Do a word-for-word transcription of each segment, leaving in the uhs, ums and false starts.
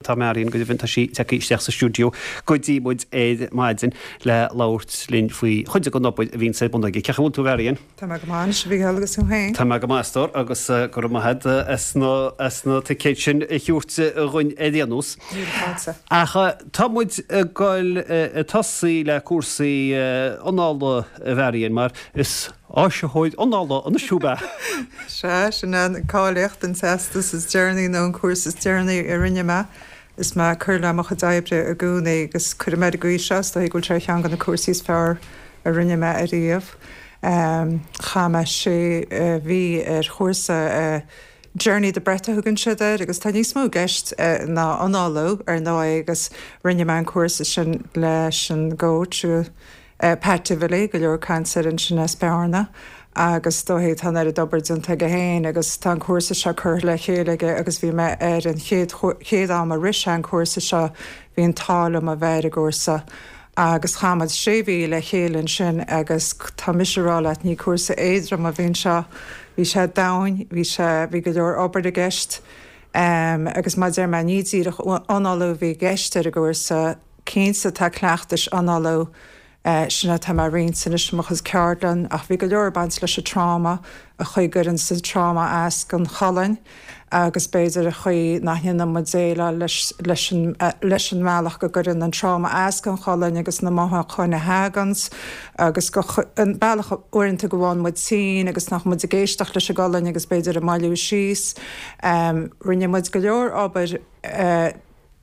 Tá Marion go deimhin tá sí tagtha isteach sa stiúideo go dtí muid ar maidin le labhairt linn faoi chuid den obair a bhíonn ar bun aici. Cén chaoi a bhfuil tú Marion? Tá mé go maith a Mhícheáil agus tú féin. Tá mé go maith a stór agus go raibh maith agat as na as na ticéid sin a thabhairt dhúinn ar aon nós. Ach tá muid ag goil ag tosaí le cúrsaí anála a Mharion mar is áisitheoir anála anois thú ab ea. Sea, sin an cáilíocht an teastas is deireanaí nó an cúrsa is deireanaí a rinne mé. Is mé ag cur le mo chuid oibre i gcónaí agus cuirim ar an gcaoi seo is dóigh go bhfuil sé ar cheann de na cúrsaí is fearr a rinne mé ariamh. Chaith mé sé mhí ar chúrsa Journey the Breath a thugann siad air agus tá níos mó i gceist ná análú ar ndóigh agus rinne mé an cúrsa sin leis an gcoach Pat Divilly go leor caint air ansin as Bearna agus dóigh tá an oiread obair déanta aige féin agus tá an cúrsa seo curtha le chéile aige agus bhí mé ar an chéad chéad am a rith sé an cúrsa seo bhí an t-ádh liom a bheith ar an gcúrsa agus chaith muid sé mhí le chéile ansin agus tá mise ag rá leat ní cúrsa éadrom a bhí anseo bhí sé domhain bhí sé bhí go leor obair i gceist um, agus mar a deir mé ní díreach análú a bhí i gceist ar an gcúrsa cinnte tá cleachtais análú sin atá mé ag roinnt anois i mo chuid ceardlann ach bhí go leor baint leis an tráma an chaoi a gcuireann sa tráma as don cholainn agus b'fhéidir an chaoi nach ndéanann muid déileáil leis leis an leis an mbealach go gcuireann an tráma as don cholainn agus na mothúcháin a thaganns agus go an bealach uaireanta go bhfaigheann muid tinn agus nach muid ag éisteacht leis an gcolainn agus b'fhéidir ag moilliú síos. Um, rinne muid go leor obair uh,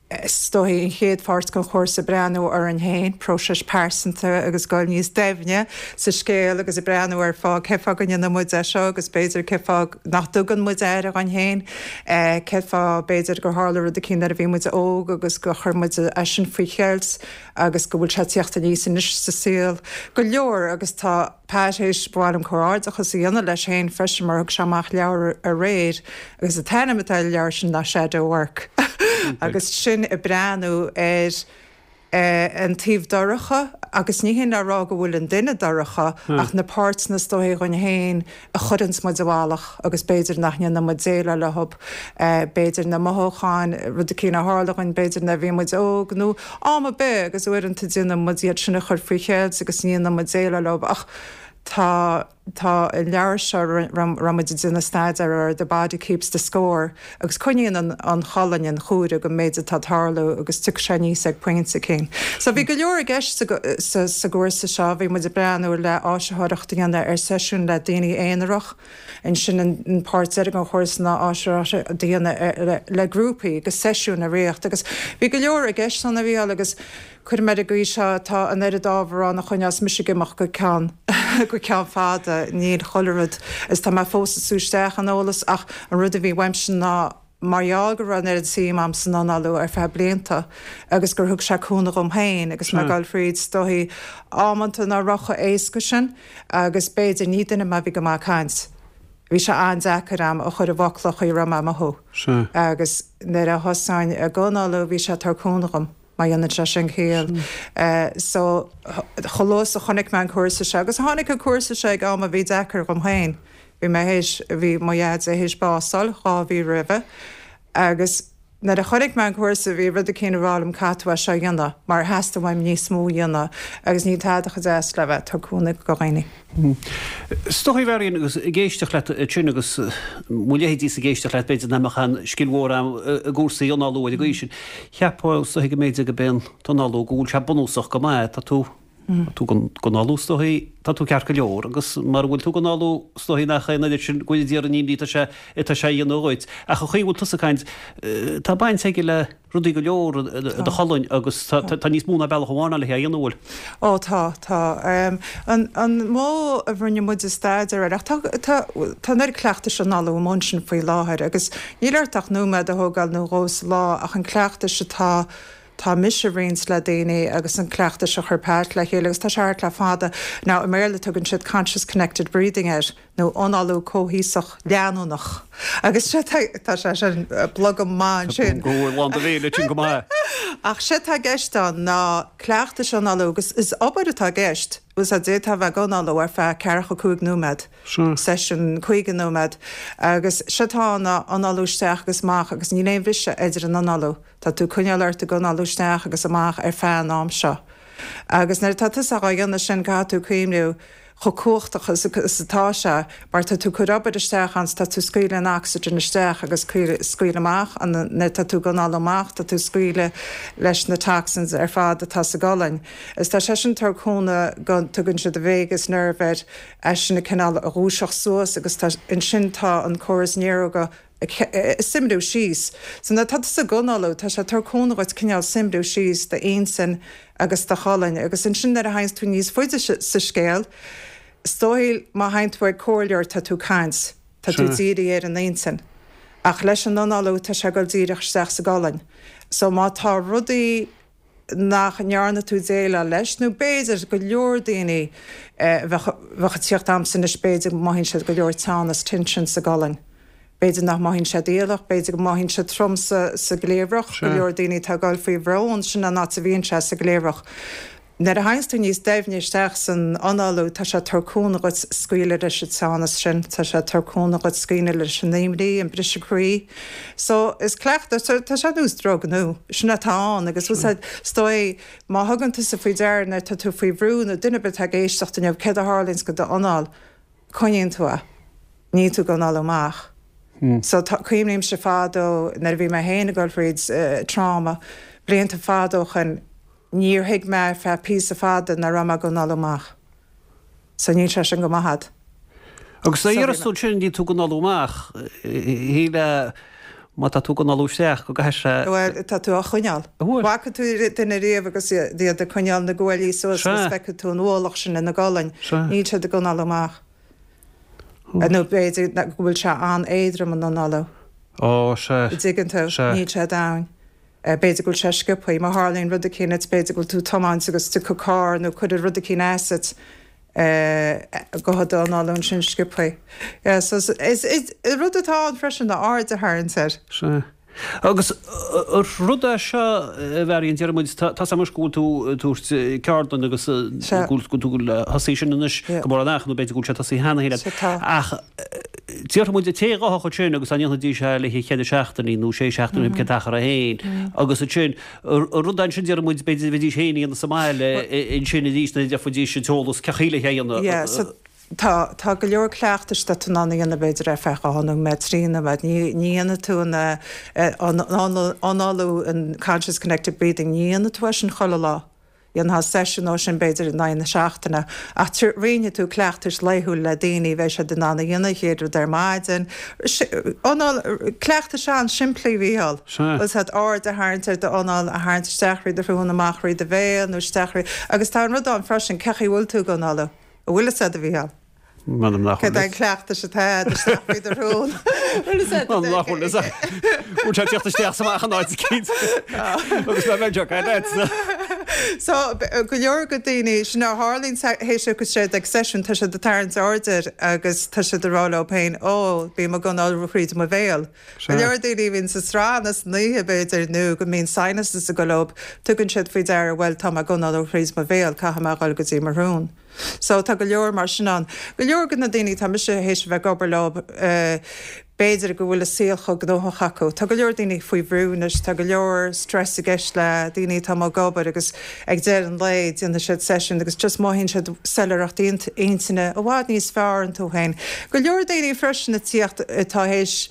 is dóigh an chéad pháirt den chúrsa breathnú orainn féin, próiseas pearsanta agus goil níos doimhne sa scéal agus ag breathnú ar fáth cé fáth go ndéanann muid é seo agus b'fhéidir cé fáth nach dtugann muid aire dhúinn féin, cé fáth b'fhéidir gur tharla rud éicint nuair a bhí muid óg agus gur chuir muid é sin faoi cheilt agus go bhfuil sé ag teacht aníos anois sa saol go leor agus tá Pat théis ba mhaith liom comhghairdeachas a dhéanamh leis féin freisin mar thug sé amach leabhar aréir agus an t-ainm atá ar an leabhar sin ná Shadow Work agus sin ag breathnú ar an taobh dorcha agus ní hin le rá go bhfuil an duine dorcha ach na páirteanna is dóigh dhúinn féin a chuireanns muid i bhfalach agus b'fhéidir nach ndéanann muid déileáil leo b'fhéidir na mothúcháin rud éicint a tharla dhúinn b'fhéidir nuair a bhí muid óg nó am ar bith agus uaireanta déanann muid iad sin a chur faoi cheilt agus ní dhéanann muid déileáil leo ach tá tá an leabhar seo raibh muid ag déanamh staidéar ar The Body Keeps the Score agus coinníonn an an cholainn an chuaire go méid atá ag tarlú agus tiocfaidh sé aníos ag pointe éicint. So bhí go leor i gceist sa sa gcúrsa seo, bhí muid ag breathnú le áisitheoireacht a dhéanamh ar seisiún le daoine aonarach, ansin an páirt deiridh den chúrsa ná áisitheoireacht a dhéanamh le grúpaí agus seisiún a reáchtáil agus bhí go leor i gceist ann a Mhícheáil agus cuirim ar an gcaoi seo tá an oiread ábhar ann a choinneos mise ag imeacht go ceann go ceann fada níl chuile rud is tá mé fós ag sú isteach an eolas ach an rud a bhí uaimse ná mar gheall go raibh an oiread suim a'm san análú ar feadh blianta agus gur thug sé cúnamh dhom féin agus mé ag dul fríd is dóigh amanta nach raibh chomh éasca sin agus b'fhéidir ní duine mé a bhí go maith ag caint. Bhí sé an-deacair a'm a chur i bhfocla an chaoi a raibh mé ag mothú agus nuair a thosaínn ag análú bhí sé ag tabhairt cúnamh dhom. Má dhéanann sé sin ciall. So, chomh luath is a chonaic mé an cúrsa seo, agus tháinig an cúrsa seo ag am a bhí deacair dhom féin. Bhí mé théis, bhí mo dhaid théis bás a fháil dhá mhí roimhe agus nuair a chonaic mé an cúrsa bhí rud eicínt ag rá liom caithfidh tú é seo a dhéanamh mar theastaigh uaim níos mó a dhéanamh agus níl tada chomh deas le bheith ag tabhairt cúnamh do dhaoine. Is dóigh a Mharion agus ag éisteacht leat ansin agus mo leithéidísa ag éisteacht leat b'fhéidir nach mbeadh aon scil mhór a'm i gcúrsaí análú ar an gcaoi sin. Cheapfá is dóigh go mb'fhéidir go b'é an t-análú go bhfuil sé bunúsach go maith, tá tú tá tú ag análú is dóigh tá tú ceart go leor agus mara bhfuil tú ag análú is dóigh nach é an oiread sin go bhfuil d'iarraidh an imní atá sé atá sé a dhéanamh dhuit. Ach an chaoi a bhfuil tusa ag caint tá baint aige le rudaí go leor i do cholainn agus tá níos mó ná bealach amháin ann le hé a dhéanamh, an bhfuil? Ó tá, tá. An an modh a rinne muid staidéar air, ach tá tá tá an oiread cleachtais análú amuigh ansin faoi láthair agus níl ort ach nóiméad a thógáil nó dhó sa lá ach an cleachtais atá tá mise a roinnt le daoine agus an cleachtais a chuir Pat le chéile agus tá sé thart le fada. Now i mBéarla tugann siad conscious connected breathing air. nó análú comhfhiosach leanúnach. Agus tá sé sin blogam maith ansin. Go bhfuil lán do bhéil sin go maith. Ach sé tá i gceist ann ná cleachtais análú agus is obair atá i gceist. Bhfuil a fhios a'd, d'fhéadfá a bheith ag análú ar feadh ceathracha cúig nóiméad, seisiún caoga nóiméad, agus sé atá ann ná análú isteach agus amach agus níl aon bhriseadh idir an análú. Tá tú ag coinneáil ort ag análú isteach agus amach ar feadh an am seo. Agus nuair atá tusa á dhéanamh sin caithfidh tú cuimhniú chomh cumhachtach is atá sé mar tá tú ag cur obair isteach ann, tá tú ag scaoileadh an ocsaigin isteach agus scaoileadh amach an, nuair atá tú ag análú amach tá tú ag scaoileadh leis na toxins ar fad atá sa gcolainn. Is tá sé sin ag tabhairt cúnamh go tugann siad vagus nerve air, eisean ag cineál a dhúiseacht suas agus tá ansin tá an córas néaróga ag suimriú síos. So nuair atá tusa ag análú, tá sé ag tabhairt cúnamh dhuit cineál suimriú síos d'intinn agus do cholainn. Agus ansin nuair a théanns tú níos faide sa scéal, is dóigh má théann tú ag comhairleoir tá tú ag caint, tá tú dírithe ar an intinn. Ach leis an análú tá sé ag dul díreach isteach sa gcolainn. So má tá rudaí nach ndearna tú déileáil leis, nó b'fhéidir go leor daoine a bheadh ag tíocht a'msa anois b'fhéidir go mothaíonn siad go leor teannas, tension sa gcolainn. B'fhéidir nach mothaíonn siad iallach, b'fhéidir go mothaíonn siad trom sa sa gcliabhrach, go leor daoine atá ag dul faoi bhrón, sin an áit a bhíonn sé, sa gcliabhrach. Nuair a théanns tú níos doimhne isteach san análú, tá sé ag tabhairt cúnamh dhuit scaoileadh leis an teannas sin, tá sé ag tabhairt cúnamh dhuit scaoileadh leis an imní, an briseadh croí. So, is cleachtadh, so, tá sé ar nós drug nó sin atá ann agus is dóigh má thugann tusa faoi deara nuair atá tú faoi bhrú nó duine ar bith atá ag éisteacht inniu, céard a tharlaíonns go d'anáil? Coinníonn tú é. Níl tú ag análú amach. So, tá, cuimhnímse fadó nuair a bhí mé féin ag dul thríd trauma, blianta fada ó shoin, Níor thuig mé ar feadh píosa fada nach raibh mé ag análú amach. So níl sé sin go maith a'd. Agus nuair a deireas tú ansin níl tú ag análú amach, shílfeá má tá tú ag análú isteach go gcaithfidh sé. Bhuel, tá tú á choinneáil. Bhfaca tú duine riamh agus iad ag coinneáil na guaillí suas agus feicfidh tú an ualach sin ina gcolainn. Níl siad ag análú amach. Nó b'fhéidir go bhfuil sé an-éadrom an análú. Ó, sea. Dtuigeann tú? Níl sé domhain. B'fhéidir go bhfuil sé sciobtha. Má tharlaíonn rud eicínt, b'fhéidir go bhfuil tú ag tiomáint agus tiocfaidh carr nó cuirfidh rud eicínt asat, gabhfaidh d'anáil ansin sciobtha. Yeah, so is, is, rud atá ann freisin ná aird a tharraingt air. Sea. Agus rud é seo, a Mharion, deir muid, tá 's agam anois go bhfuil tú ag tabhairt ceardlann agus go bhfuil tú ag tosaí sin anois go mór an ach nó b'fhéidir go bhfuil sé tosaithe cheana féin. Ach déarfaidh muid an té a ghabhfadh ansin agus dá ndéanfaidís é le haghaidh cheithre seachtainí nó sé seachtainí cén t-achar é féin agus ansin an rud ansin déarfaidh muid b'fhéidir bheidís féin a dhéanamh sa mbaile ansin arís nuair a d'fhéachfaidís an t-eolas cén chaoi le é a dhéanamh. Yeah, so tá tá go leor cleachtais atá tú in ann a dhéanamh b'fhéidir ar feadh dhá nóiméad, trí nóiméad. Ní ní dhéanfaidh tú an an análú an conscious connected breathing, ní dhéanfaidh tú é sin chuile lá. Dhéanfá seisiún dó sin b'fhéidir in aghaidh na seachtaine, ach roinnfidh tú cleachtais laethúil le daoine, bheidh siad in ann a dhéanamh an chéad rud ar maidin. Anáil, cleachtais an-simplí, a Mhícheáil. Sea. Bhfuil 's a'd, aird a tharraingt ar d'anáil, a tharraingt isteach thríd do shrón, amach thríd do bhéal nó isteach thríd, agus tá an rud ann freisin, cén chaoi a bhfuil tú ag análú? An bhfuil 'fhios a'd, a Mhícheáil? M'anam nach Cad bhfuil é an cleachtas atá a'd isteach thríd do shrón? Bhfuil 'fhios a'd? M'anam nach bhfuil 'fhios a'd. Bhfuil sé ag tíocht isteach 's amach an áit eicínt. Agus mé bheith ag leat. So, go leor go daoine, sin a tharlaíonn théis go siad ag seisiún, tá siad ag tarraingt aird air agus tá siad ag rá leo féin, ó, bím ag análú thríd mo bhéal. Go leor daoine a bhíonn sa srán san oíche, b'fhéidir, nó go mbíonn sinuses ag dul leo, tugann siad faoi deara, bhuel, tá mé ag análú thríd mo bhéal, caithfidh mé a dhul go dtí mo shrón. So tá go leor mar sin ann. Go leor de na daoine atá mise théis a bheith ag obair leo, b'fhéidir go bhfuil a saol chomh gnóthach acu. Tá go leor daoine faoi bhrú anois, tá go leor stress i gceist le daoine atá amuigh ag obair agus ag deireadh an lae déanfaidh siad seisiún agus just mothaíonn siad soiléireacht intinne i bhfad níos fearr iontu féin. Go leor daoine freisin ag tíocht atá théis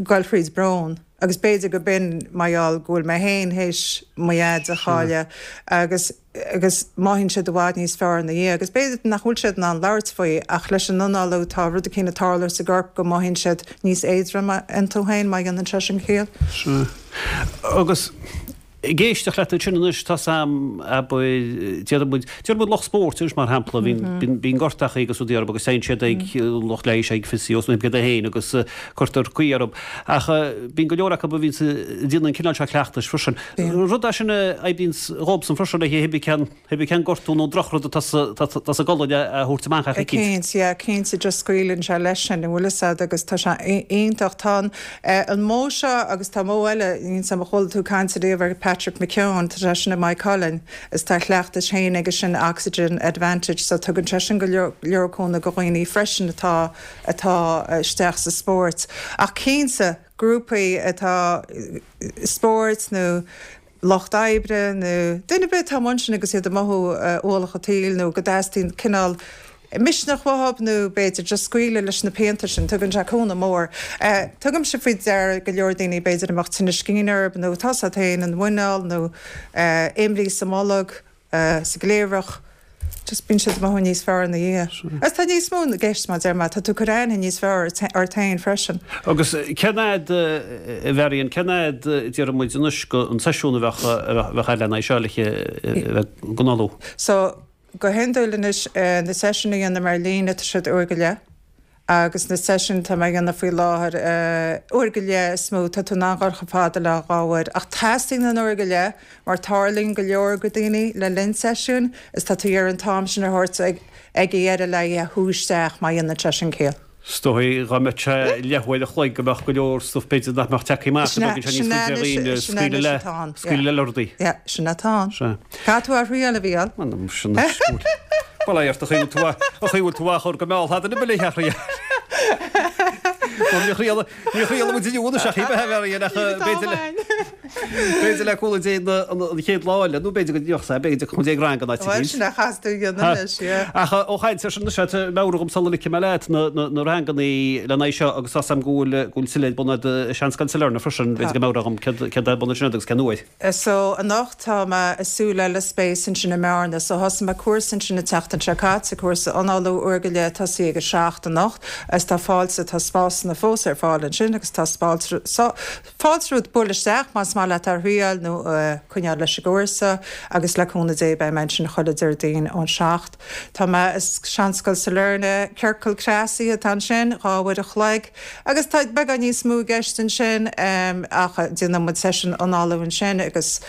goil thríd brón agus b'fhéidir go b'in mar gheall go bhfuil mé féin théis mo dhaid a chailleadh agus agus mothaíonn siad i bhfad níos fearr ina dhiaidh agus b'fhéidir nach bhfuil siad in ann labhairt faoi ach leis an análú tá rud eicínt ag tarlú sa gcorp go mothaíonn siad níos éadroime iontu féin má dhéanann sé sin ciall. Sea. Agus Ag éisteacht leat ansin anois, tá 's a'm, abair, déarfaidh muid, déarfaidh muid lucht spóirt anois mar shampla, bíonn, bíonn gortachaí agus rudaí orthu agus téann siad ag lucht leighis, ag physios nó céard é féin agus cuirtear caoi orthu. Ach bíonn go leor acu a bhíonns ag déanamh an cineál seo cleachtais freisin. Rud é sin a oibríonns dhóibhsan freisin le hibé cén, hibé cén gortú nó drochrud atá sa, atá sa gcolainn a thabhairt amach ach eicínt. Cinnte, yeah, cinnte, just scaoileann sé leis sin, an bhfuil 'fhios a'd agus tá sé iontach. Tá an, an modh seo agus tá modh eile, níl 's a'm an chuala tú caint ariamh ar Patrick McKeown, tá sé sin i Maigh Cuilinn, is tá a chleachtas féin aige sin Oxygen Advantage, so tugann sé sin go leor leor cúnamh go dhaoine freisin atá atá isteach sa spórt. Ach cinnte grúpaí atá spóirt nó lucht oibre nó duine ar bith atá amuigh ansin agus iad ag mothú ualach an tsaoil nó go dteastaíonn cineál misneach uathu nó b'fhéidir just scaoileadh leis na pianta sin, tugann sé cúnamh mór. Tugaimse faoi deara go leor daoine b'fhéidir a mbeadh tinneas cinn orthu nó tá a fhios agat féin an mhuineál nó imní sa mbolg, sa gcliabhrach. Just bíonn siad ag mothú níos fearr ina dhiaidh. Agus tá níos mó i gceist mar a deir mé, tá tú ag cur aithne níos fearr ort féin freisin. Agus cén fhad, a Mharion, cén fhad déarfaidh muid anois go an seisiún a bheadh a bheadh agat lena aghaidh seo le bheith ag análú? So, go hiondúil anois na seisiúin a dhéanaim ar líne tá siad uair go leith. Agus na seisiúin atá mé a dhéanamh faoi láthair, uair go leith is mó, tá tú in ann dhul chomh fada le dhá uair. Ach teastaíonn an uair go leith mar tarlaíonn go leor go daoine le linn seisiúin is tá tú ag iarraidh an t-am sin a thabhairt ag ag a dheireadh le a shú isteach má dhéanann sé sin ciall. Is dóigh dá mbeadh sé leathuair a chloig go mbeadh go leor stuif b'fhéidir nach mbeadh tagtha amach go dtugann sé níos faide ar dhaoine scaoileadh le scaoileadh le rudaí. Yeah, sin atá ann. Sea. Caithfidh tú a thriail, a Mhícheáil. M'anam sin is Bail ó Dhia ort a chaoi bhfuil tú a chaoi bhfuil tú á chur go mall thad ina bhfuil a thriail. Níor thriail níor thriail muid inniu anois ach ní bheidh Marion ach b'fhéidir le b'fhéidir le cúnamh Dé an chéad lá eile nó b'fhéidir go dtiocfadh sé b'fhéidir go dtiocfadh rang an áit Bhuel sin a chas tú a dhéanamh anois yeah. Ach ó chaint ar sin anois tá meabhrú dhom sula ligfidh mé leat na na rangannaí lena aghaidh seo agus tá 's a'm go bhfuil go bhfuil tuilleadh ar bun a'd i Seanscoil Sailearna freisin b'fhéidir go meabhrófá dhom céard céard ar bun ansin agus cén uair. So anocht tá mé i Súil Eile Space ansin i mBearna. So thosaigh mé cúrsa ansin an tseachtain seo caite, cúrsa análú uair go leith tosaí ag a seacht anocht agus tá fáilte, tá spásanna fós ar fáil ansin agus tá fáilte romhat bualadh isteach más maith leat a thriail nó coinneáil leis an gcúrsa agus le cúnamh Dé beidh mé ansin chuile Déardaoin ón seacht. Tá mé i Seanscoil Sailearna, ciorcal cneasaithe atá ansin, dhá uair a chloig agus tá beagán níos mó i gceist ansin ach déanann muid seisiún análú ansin agus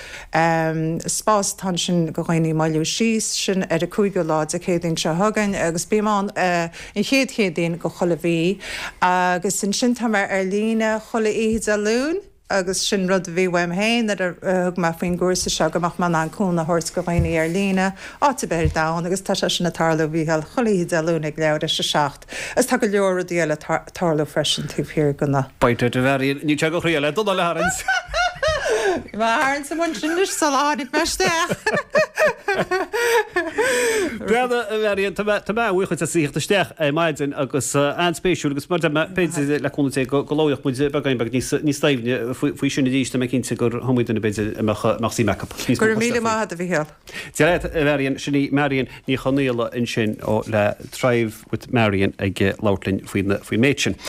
spás atá ansin go dhaoine moilliú síos, sin ar an cúigiú lá Dé Céadaoin seo chugainn agus bím ann an chéad Chéadaoin go chuile mhí agus ansin tá mé ar líne chuile oíche Dé Luain. Agus sin rud a bhí uaim féin nuair a thug mé faoin gcúrsa seo, go mbeadh mé in ann cúnamh a thabhairt go dhaoine ar líne, áit ar bith ar domhan, agus tá sé sin ag tarlú, a Mhícheáil, chuile oíche Dé Luain ag leathuair tar éis a seacht. Agus tá go leor rudaí eile ag tarlú freisin taobh thiar de na. Beidh tú a Mharion, níl sé go chroí le dul le tharraingt. Bhí mé á tharraingt amuigh ansin anois sula tháinig mé isteach. Breathnaigh, a Mharion, tá mé tá mé an-bhuíoch duit as a thíocht isteach ar maidin agus an-spéisiúil agus mar a deir mé, b'fhéidir le cúnamh Dé go go labhróidh muid beagáinín beag níos níos doimhne faoi faoi sin arís, tá mé cinnte gur iomaí duine b'fhéidir a mbeadh a mbeadh suim acu níos Go mó raibh míle cloisteáil faoi. maith agat, a Mhícheáil. Dia leat, a Mharion, sin í Marion Ní Chonaola ansin ó le Thrive with Marion ag labhairt linn faoin faoin méid sin.